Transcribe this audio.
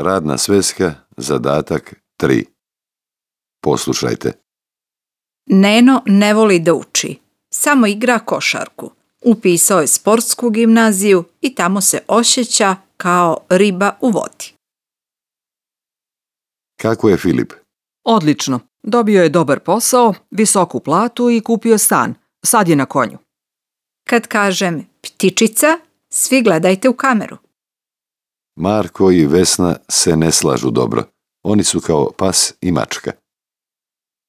Radna sveska, zadatak 3. Poslušajte. Neno ne voli da uči, samo igra košarku. Upisao je sportsku gimnaziju i tamo se osjeća kao riba u vodi. Kako je Filip? Odlično. Dobio je dobar posao, visoku platu i kupio stan. Sad je na konju. Kad kažem ptičica, svi gledajte u kameru. Marko i Vesna se ne slažu dobro. Oni su kao pas i mačka.